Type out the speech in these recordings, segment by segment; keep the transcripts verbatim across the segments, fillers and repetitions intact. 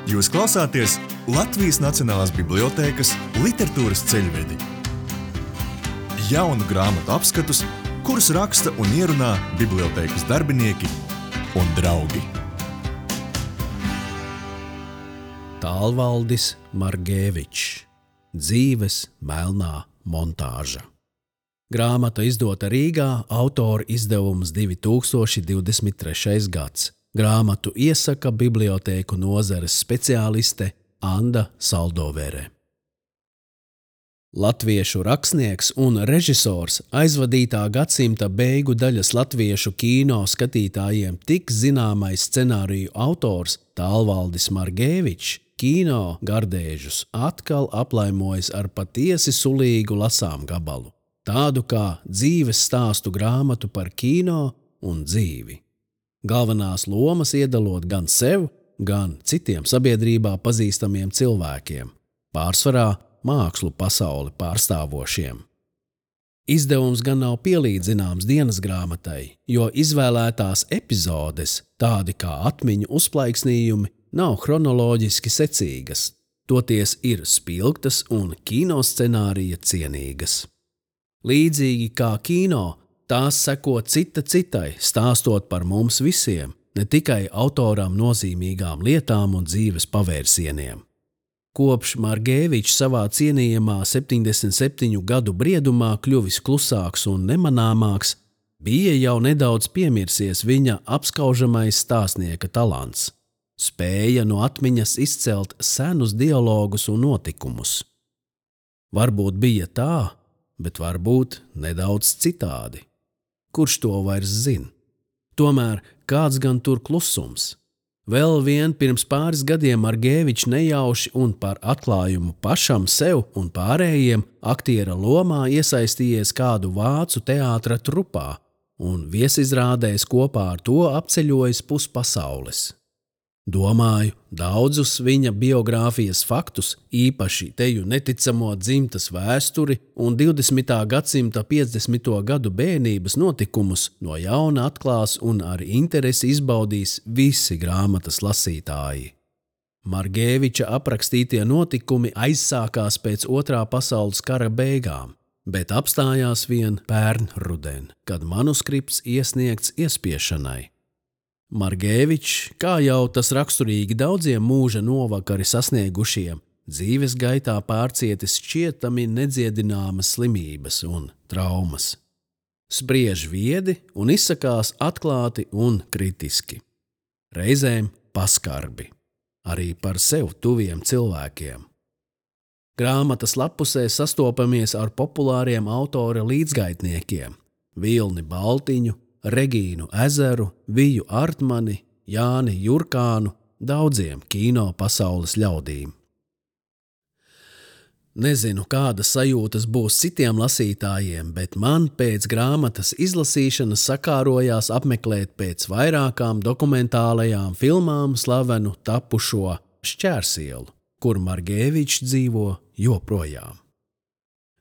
Jūs klausāties Latvijas Nacionālās bibliotēkas literatūras ceļvedi. Jaunu grāmatu apskatus, kurus raksta un ierunā bibliotēkas darbinieki un draugi. Tālvaldis Margēvičs. Dzīves melnā montāža. Grāmata izdota Rīgā, autora izdevums divi tūkstoši divdesmit trešais gads. Grāmatu iesaka bibliotēku nozares speciāliste Anda Saldovere. Latviešu rakstnieks un režisors, aizvadītā gadsimta beigu daļas latviešu kino skatītājiem tik zināmais scenāriju autors Tālvaldis Margēvičs kino gardēžus atkal aplaimojas ar patiesi sulīgu lasām gabalu, tādu kā dzīves stāstu grāmatu par kino un dzīvi. Galvenās lomas iedalot gan sev, gan citiem sabiedrībā pazīstamiem cilvēkiem, pārsvarā mākslu pasauli pārstāvošiem. Izdevums gan nav pielīdzināms dienas grāmatai, jo izvēlētās epizodes, tādi kā atmiņu uzplaiksnījumi, nav chronoloģiski secīgas, toties ir spilgtas un kinoscenārija cienīgas. Līdzīgi kā kino, tās seko cita citai, stāstot par mums visiem, ne tikai autoram nozīmīgām lietām un dzīves pavērsieniem. Kopš Margēvičs savā cienījamā septiņdesmit septiņu gadu briedumā kļuvis klusāks un nemanāmāks, bija jau nedaudz piemirsies viņa apskaužamais stāstnieka talants. Spēja no atmiņas izcelt senus dialogus un notikumus. Varbūt bija tā, bet varbūt nedaudz citādi. Kurš to vairs zina? Tomēr kāds gan tur klusums? Vēl vien pirms pāris gadiem Margēvičs nejauši un par atklājumu pašam sev un pārējiem aktiera lomā iesaistījies kādu vācu teātra trupā un viesizrādēs kopā ar to apceļojis puspasaules. Domāju, daudzus viņa biogrāfijas faktus, īpaši teju neticamo dzimtas vēsturi un divdesmitā gadsimta piecdesmito gadu bērnības notikumus no jauna atklās un ar interesi izbaudīs visi grāmatas lasītāji. Margēviča aprakstītie notikumi aizsākās pēc otrā pasaules kara beigām, bet apstājās vien pērn ruden, kad manuskripts iesniegts iespiešanai. Margēvičs, kā jau tas raksturīgi daudziem mūža novakari sasniegušiem, dzīves gaitā pārcietis šķietami nedziedināmas slimības un traumas. Spriež viedi un izsakās atklāti un kritiski. Reizēm paskarbi, arī par sev tuviem cilvēkiem. Grāmatas lapusē sastopamies ar populāriem autora līdzgaitniekiem – Vilni Baltiņu, Regīnu Ezeru, Viju Artmani, Jāni Jurkānu, daudziem kino pasaules ļaudīm. Nezinu, kādas sajūtas būs citiem lasītājiem, bet man pēc grāmatas izlasīšanas sakārojās apmeklēt pēc vairākām dokumentālajām filmām slavenu tapušo Šķērsielu, kur Margēvičs dzīvo joprojām.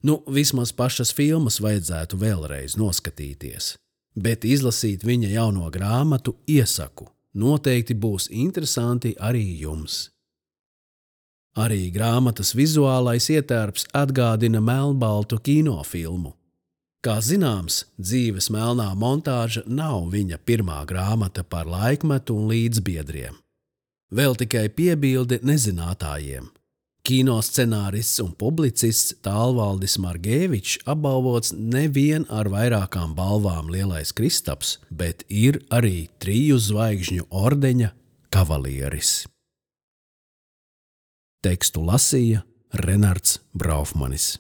Nu, vismaz pašas filmas vajadzētu vēlreiz noskatīties. Bet izlasīt viņa jauno grāmatu iesaku. Noteikti būs interesanti arī jums. Arī grāmatas vizuālais ietērps atgādina melnbaltu kinofilmu. Kā zināms, dzīves melnā montāža nav viņa pirmā grāmata par laikmetu un līdzbiedriem. Vēl tikai piebilde nezinātājiem. Kinoscenārists un publicists Tālvaldis Margēvičs apbalvots nevien ar vairākām balvām Lielais Kristaps, bet ir arī triju zvaigžņu ordeņa kavalieris. Tekstu lasīja Renards Braufmanis.